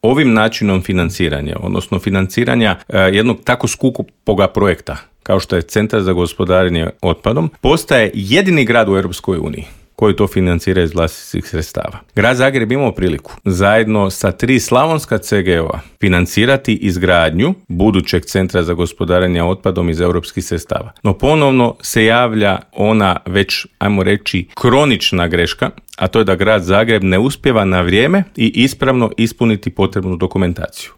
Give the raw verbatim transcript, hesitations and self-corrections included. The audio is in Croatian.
ovim načinom financiranja, odnosno financiranja e, jednog tako skupoga projekta kao što je Centar za gospodarenje otpadom, postaje jedini grad u Europskoj uniji koji to financira iz vlastitih sredstava. Grad Zagreb imao priliku zajedno sa tri slavonska ce ge o-a financirati izgradnju budućeg Centra za gospodarenje otpadom iz europskih sredstava. No ponovno se javlja ona već, ajmo reći, kronična greška, a to je da grad Zagreb ne uspijeva na vrijeme i ispravno ispuniti potrebnu dokumentaciju.